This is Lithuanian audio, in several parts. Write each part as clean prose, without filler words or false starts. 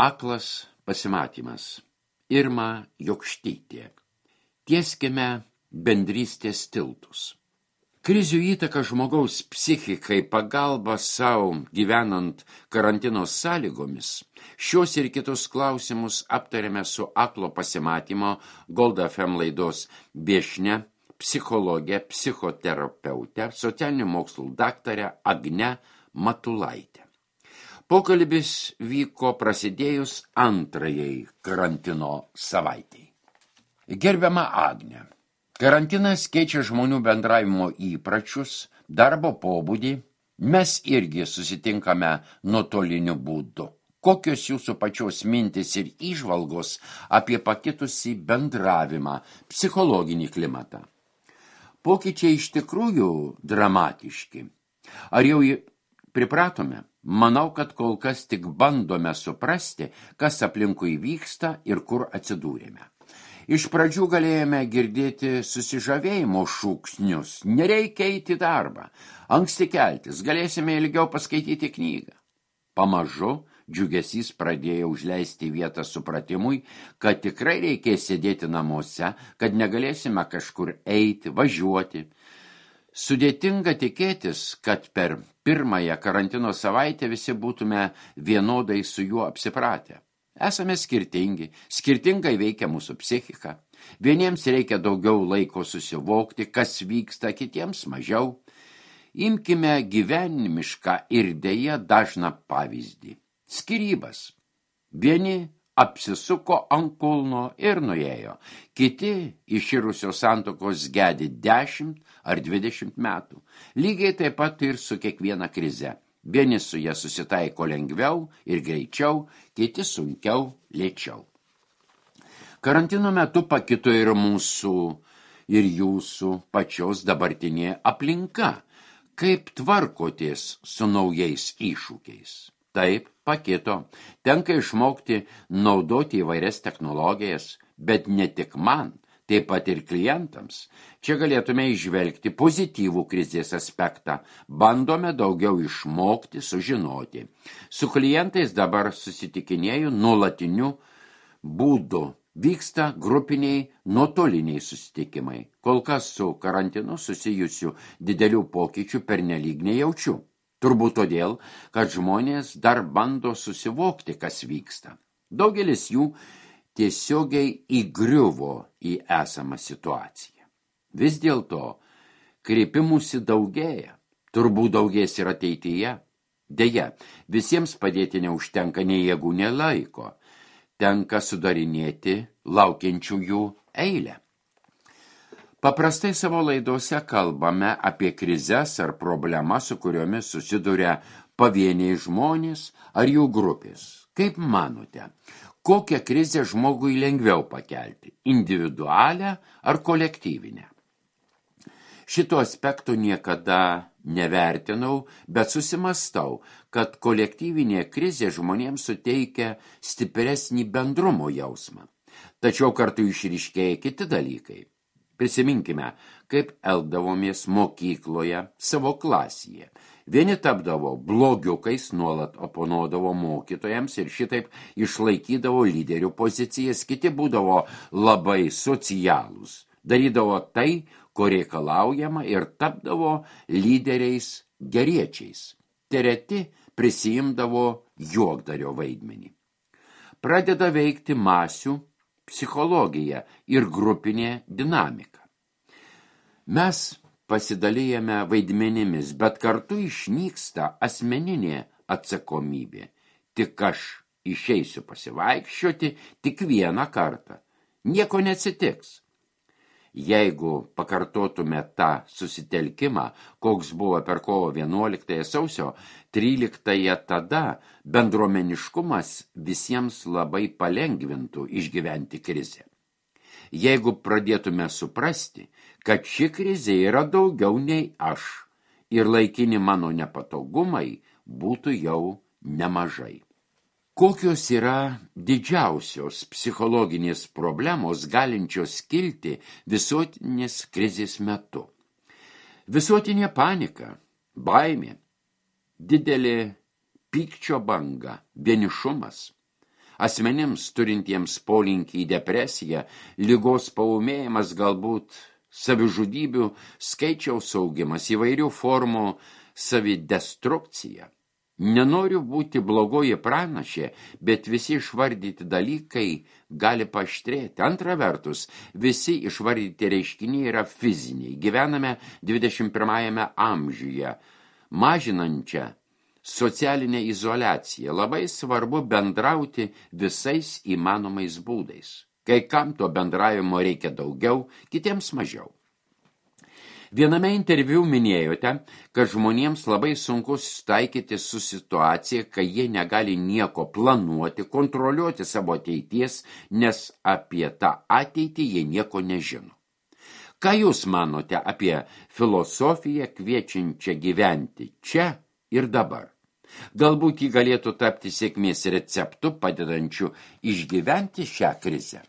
Aklas pasimatymas. Irma Jokštytė. Tieskime bendrystės tiltus. Krizių įtaka žmogaus psichikai, pagalba savo gyvenant karantino sąlygomis. Šios ir kitus klausimus aptarėme su Aklo pasimatymo Gold FM laidos viešnia, psichologė, psichoterapeutė, socialinių mokslų daktarė Agne Matulaitė. Pokalbis vyko prasidėjus antrajai karantino savaitei. Gerbiama Agne, karantinas keičia žmonių bendravimo įpračius, darbo pobūdį. Mes irgi susitinkame nuotoliniu būdu. Kokios jūsų pačios mintis ir įžvalgos apie pakitusį bendravimą, psichologinį klimatą? Pokyčiai iš tikrųjų dramatiški. Ar jau pripratome? Manau, kad kol kas tik bandome suprasti, kas aplinkui vyksta ir kur atsidūrėme. Iš pradžių galėjome girdėti susižavėjimo šūksnius. Nereikia eiti į darbą. Anksti keltis, galėsime ilgiau paskaityti knygą. Pamažu džiugesys pradėjo užleisti vietą supratimui, kad tikrai reikės sėdėti namuose, kad negalėsime kažkur eiti, važiuoti. Sudėtinga tikėtis, kad per pirmąją karantino savaitę visi būtume vienodai su juo apsipratę. Esame skirtingi, skirtingai veikia mūsų psichika. Vieniems reikia daugiau laiko susivokti, kas vyksta, kitiems mažiau. Imkime gyvenimišką ir deja dažną pavyzdį. Skyrybas. Vieni apsisuko ant kulno ir nuėjo. Kiti iširusios santuokos gedi 10 ar 20 metų. Lygiai taip pat ir su kiekviena krize. Vieni su ja susitaiko lengviau ir greičiau, kiti sunkiau, lėčiau. Karantino metu pakito ir mūsų, ir jūsų pačios dabartinė aplinka. Kaip tvarkotės su naujais iššūkiais? Taip, pakito. Tenka išmokti naudoti įvairias technologijas, bet ne tik man, taip pat ir klientams. Čia galėtume įžvelgti pozityvų krizės aspektą. Bandome daugiau išmokti, sužinoti. Su klientais dabar susitikinėju nuolatiniu būdu. Vyksta grupiniai nuotoliniai susitikimai. Kol kas su karantinu susijusių didelių pokyčių pernelyg nejaučiu. Turbūt todėl, kad žmonės dar bando susivokti, kas vyksta. Daugelis jų tiesiogiai įgriuvo į esamą situaciją. Vis dėlto kreipimųsi daugėja, turbūt daugės ir ateityje. Deja, visiems padėti neužtenka nei jėgų, nei laiko. Tenka sudarinėti laukiančiųjų eilę. Paprastai savo laidose kalbame apie krizes ar problemas, su kuriomis susiduria pavieniai žmonės ar jų grupės. Kaip manote, kokią krizę žmogui lengviau pakelti? Individualią ar kolektyvinę? Šito aspekto niekada nevertinau, bet susimastau, kad kolektyvinė krizė žmonėms suteikia stipresnį bendrumo jausmą. Tačiau kartu išryškėja kiti dalykai. Prisiminkime, kaip elgdavomės mokykloje savo klasėje. Vieni tapdavo blogiukais, nuolat oponuodavo mokytojams ir šitaip išlaikydavo lyderių pozicijas, kiti būdavo labai socialūs, darydavo tai, ko reikalaujama ir tapdavo lyderiais geriečiais. Treti prisiimdavo juokdario vaidmenį. Pradeda veikti masių psichologija ir grupinė dinamika. Mes pasidalijame vaidmenimis, bet kartu išnyksta asmeninė atsakomybė. Tik aš išeisiu pasivaikščioti tik vieną kartą. Nieko neatsitiks. Jeigu pakartotume tą susitelkimą, koks buvo per kovo 11 sausio 13, tada bendruomeniškumas visiems labai palengvintų išgyventi krizę. Jeigu pradėtume suprasti, kad ši krizė yra daugiau nei aš ir laikini mano nepatogumai, būtų jau nemažai. Kokios yra didžiausios psichologinės problemos galinčios kilti visuotinės krizės metu? Visuotinė panika, baimė, didelė pykčio banga, vienišumas. Asmenims turintiems polinkį į depresiją, ligos paūmėjimas, galbūt savižudybių skaičiaus augimas, įvairių formų savidestrukcija. Nenoriu būti blogoji pranašė, bet visi išvardyti dalykai gali paaštrėti. Antra vertus, visi išvardyti reiškiniai yra fiziniai. Gyvename 21 amžiuje, mažinančią socialinę izoliaciją. Labai svarbu bendrauti visais įmanomais būdais. Kai kam to bendravimo reikia daugiau, kitiems mažiau. Viename interviu minėjote, kad žmonėms labai sunku susitaikyti su situacija, kai jie negali nieko planuoti, kontroliuoti savo ateities, nes apie tą ateitį jie nieko nežino. Ką jūs manote apie filosofiją kviečiančią gyventi čia ir dabar? Galbūt ji galėtų tapti sėkmės receptu, padedančiu išgyventi šią krizę.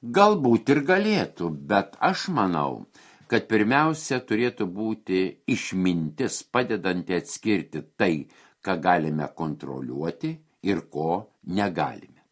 Galbūt ir galėtų, bet aš manau, kad pirmiausia turėtų būti išmintis, padedanti atskirti tai, ką galime kontroliuoti ir ko negalime.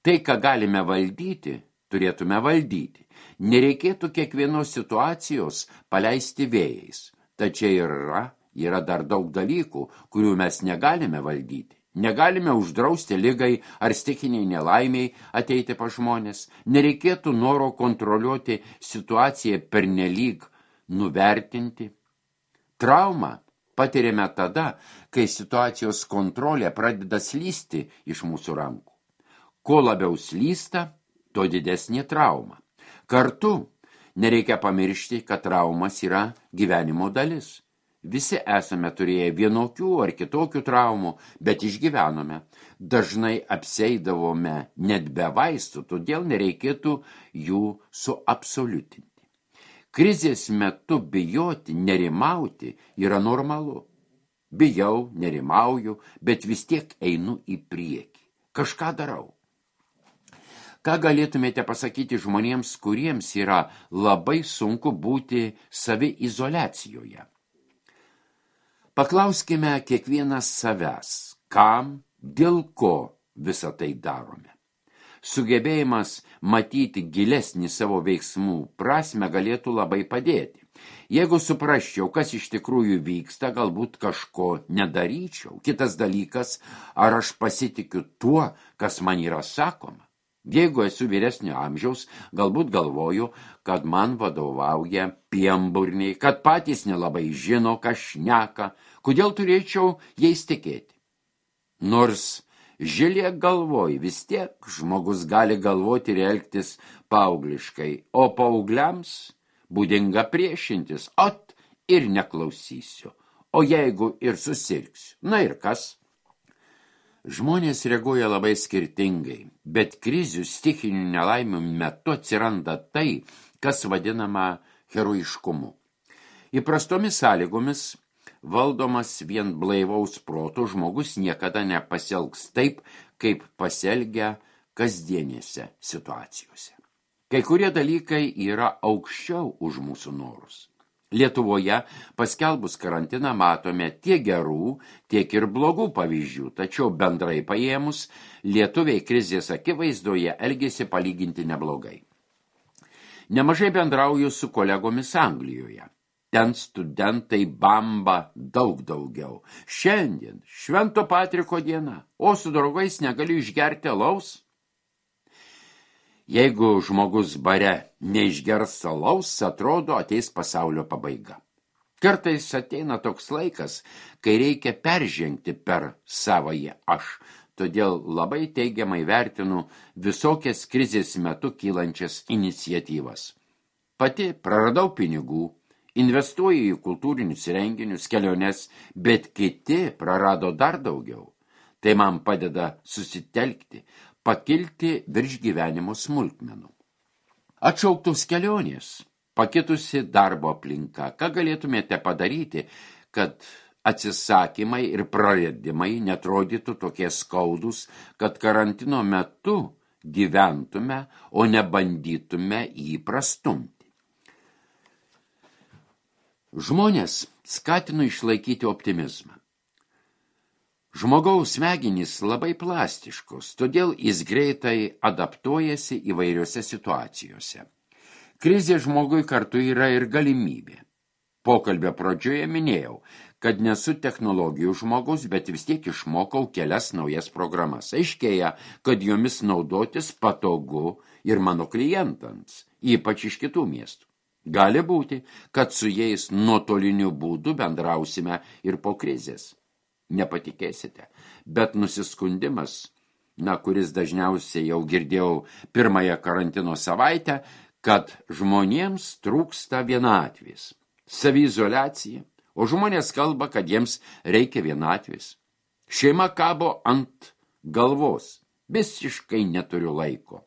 Tai, ką galime valdyti, turėtume valdyti. Nereikėtų kiekvienos situacijos paleisti vėjais. Tačiau yra dar daug dalykų, kurių mes negalime valdyti. Negalime uždrausti ligai ar stichiniai nelaimiai ateiti pas žmonės. Nereikėtų noro kontroliuoti situaciją pernelyg nuvertinti. Traumą patiriame tada, kai situacijos kontrolė pradeda slysti iš mūsų rankų. Kuo labiau slysta, tuo didesnė trauma. Kartu nereikia pamiršti, kad traumas yra gyvenimo dalis. Visi esame turėję vienokių ar kitokių traumų, bet išgyvenome. Dažnai apseidavome net be vaistų, todėl nereikėtų jų suabsoliutinti. Krizės metu bijoti, nerimauti yra normalu. Bijau, nerimauju, bet vis tiek einu į priekį. Kažką darau. Ką galėtumėte pasakyti žmonėms, kuriems yra labai sunku būti saviizoliacijoje? Paklauskime kiekvienas savęs, kam, dėl ko visą tai darome. Sugebėjimas matyti gilesnį savo veiksmų prasmę galėtų labai padėti. Jeigu suprasčiau, kas iš tikrųjų vyksta, galbūt kažko nedaryčiau. Kitas dalykas, ar aš pasitikiu tuo, kas man yra sakoma. Jeigu esu vyresnio amžiaus, galbūt galvoju, kad man vadovauja pienburniai, kad patys nelabai žino, ką šneka, kodėl turėčiau jais tikėti. Nors žilė galvoj, vis tiek žmogus gali galvoti ir elgtis paaugliškai, o paaugliams būdinga priešintis, ir neklausysiu, o jeigu ir susirgsiu, na ir kas? Žmonės reaguoja labai skirtingai, bet krizių stichinių nelaimių metu atsiranda tai, kas vadinama heroiškumu. Įprastomis sąlygomis valdomas vien blaivaus proto žmogus niekada nepasielgs taip, kaip pasielgia kasdienėse situacijose. Kai kurie dalykai yra aukščiau už mūsų norus. Lietuvoje paskelbus karantiną matome tiek gerų, tiek ir blogų pavyzdžių, tačiau bendrai paėmus lietuviai krizės akivaizdoje elgėsi palyginti neblogai. Nemažai bendrauju su kolegomis Anglijoje. Ten studentai bamba daug daugiau. Šiandien Švento Patriko diena, o su draugais negaliu išgerti alaus. Jeigu žmogus bare neišgers alaus, atrodo ateis pasaulio pabaiga. Kartais ateina toks laikas, kai reikia peržengti per savąjį aš, todėl labai teigiamai vertinu visokias krizės metu kylančias iniciatyvas. Pati praradau pinigų, investuoju į kultūrinius renginius, keliones, bet kiti prarado dar daugiau. Tai man padeda susitelkti, pakilti virš gyvenimo smulkmenų. Atšauktos kelionės, pakitusi darbo aplinka. Ką galėtumėte padaryti, kad atsisakymai ir praradimai netrodytų tokie skaudus, kad karantino metu gyventume, o ne bandytume jį prastumti? Žmonės skatino išlaikyti optimizmą. Žmogaus smegenys labai plastiškos, todėl jis greitai adaptuojasi įvairiose situacijose. Krizė žmogui kartu yra ir galimybė. Pokalbio pradžioje minėjau, kad nesu technologijų žmogus, bet vis tiek išmokau kelias naujas programas. Aiškėja, kad jomis naudotis patogu ir mano klientams, ypač iš kitų miestų. Gali būti, kad su jais nuotoliniu būdu bendrausime ir po krizės. Nepatikėsite, bet nusiskundimas, kuris dažniausiai jau girdėjau pirmąją karantino savaitę, kad žmonėms trūksta vienatvės, saviizoliacija, o žmonės kalba, kad jiems reikia vienatvės. Šeima kabo ant galvos, visiškai neturiu laiko.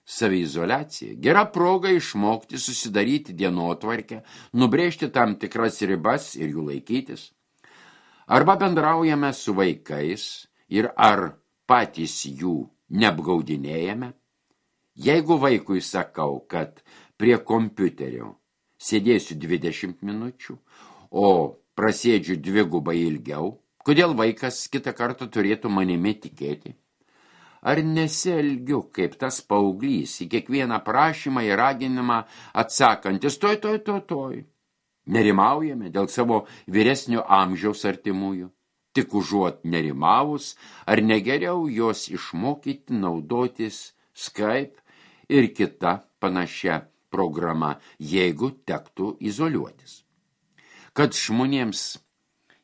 Saviizoliacija, gera proga išmokti susidaryti dienotvarkę, nubrėžti tam tikras ribas ir jų laikytis. Arba bendraujame su vaikais ir ar patys jų neapgaudinėjame. Jeigu vaikui sakau, kad prie kompiuterio sėdėsiu 20 minučių, o prasėdžiu dvigubai ilgiau, kodėl vaikas kitą kartą turėtų manimi tikėti? Ar nesielgiu kaip tas paauglys į kiekvieną prašymą ir raginimą atsakantis toj. Nerimaujame dėl savo vyresnio amžiaus artimųjų. Tik užuot nerimavus, ar negeriau jos išmokyti naudotis Skype ir kita panašia programa, jeigu tektų izoliuotis. Kad žmonėms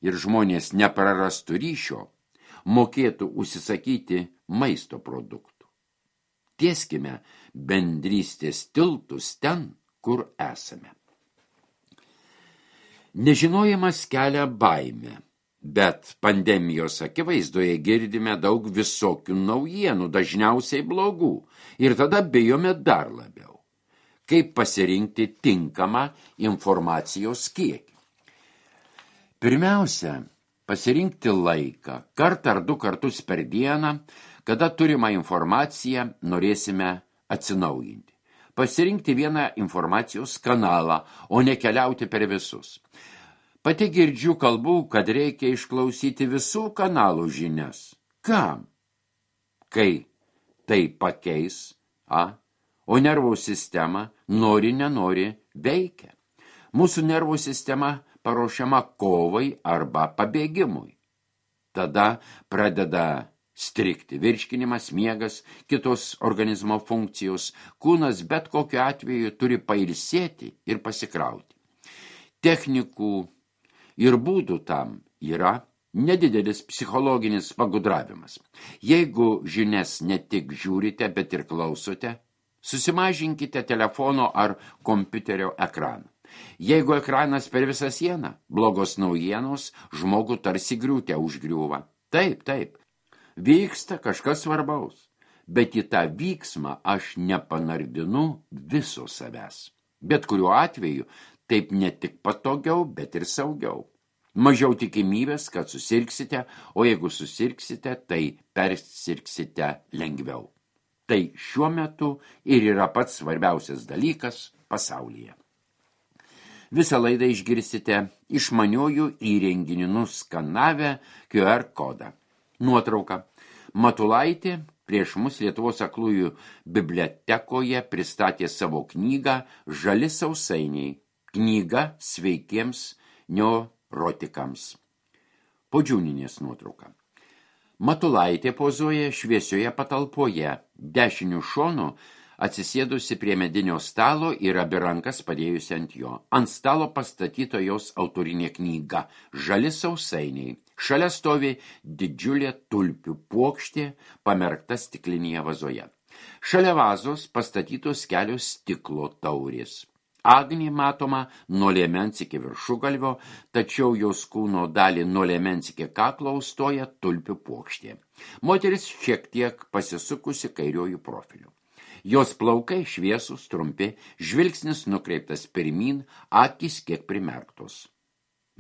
ir žmonės neprarastų ryšio, mokėtų užsisakyti maisto produktų. Tieskime bendrystės tiltus ten, kur esame. Nežinojimas kelia baimę, bet pandemijos akivaizdoje girdime daug visokių naujienų, dažniausiai blogų, ir tada bijome dar labiau. Kaip pasirinkti tinkamą informacijos kiekį? Pirmiausia, pasirinkti laiką, kartą ar 2 kartus per dieną, kada turimą informaciją norėsime atsinaujinti. Pasirinkti vieną informacijos kanalą, o ne keliauti per visus. Pati girdžiu kalbų, kad reikia išklausyti visų kanalų žinias. Kam? Kai tai pakeis, o nervų sistema nenori veikia. Mūsų nervų sistema paruošiama kovai arba pabėgimui. Tada pradeda strigti virškinimas, miegas, kitos organizmo funkcijos. Kūnas bet kokiu atveju turi pailsėti ir pasikrauti. Technikų ir būdų tam yra nedidelis psichologinis pagudravimas. Jeigu žinias ne tik žiūrite, bet ir klausote, susimažinkite telefono ar kompiuterio ekraną. Jeigu ekranas per visą sieną, blogos naujienos žmogų tarsi griūte užgriūva. Taip, vyksta kažkas svarbaus, bet į tą vyksmą aš nepanardinu viso savęs. Bet kuriuo atveju taip ne tik patogiau, bet ir saugiau. Mažiau tikimybės, kad susirgsite, o jeigu susirgsite, tai persirgsite lengviau. Tai šiuo metu ir yra pats svarbiausias dalykas pasaulyje. Visą laidą išgirsite išmaniųjų įrenginių nuskanavę QR kodą. Nuotrauka. Matulaitė prieš mus Lietuvos aklųjų bibliotekoje pristatė savo knygą Žali sausainiai. Knyga sveikiems neurotikams. Podžiūninės nuotrauka. Matulaitė pozuoja šviesioje patalpoje, dešiniu šonu atsisėdusi prie medinio stalo ir abi rankas padėjusi ant jo. Ant stalo pastatyta jos autorinė knyga Žali sausainiai. Šalia stovi didžiulė tulpių puokštė, pamerkta stiklinėje vazoje. Šalia vazos pastatytos kelios stiklo taurės. Agnė matoma nuo liemens iki viršugalvio, tačiau jos kūno dalį nuo liemens iki kaklo užstoja tulpių puokštė. Moteris šiek tiek pasisukusi kairiuoju profiliu. Jos plaukai šviesūs, trumpi, žvilgsnis nukreiptas pirmyn, akys kiek primerktos.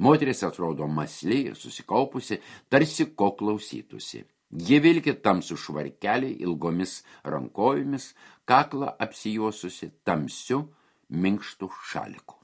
Moteris atrodo mąsli ir susikaupusi, tarsi ko klausytųsi. Ji vilki tamsų švarkelį ilgomis rankojomis, kaklą apsijuosusi tamsiu minkštų šaliku.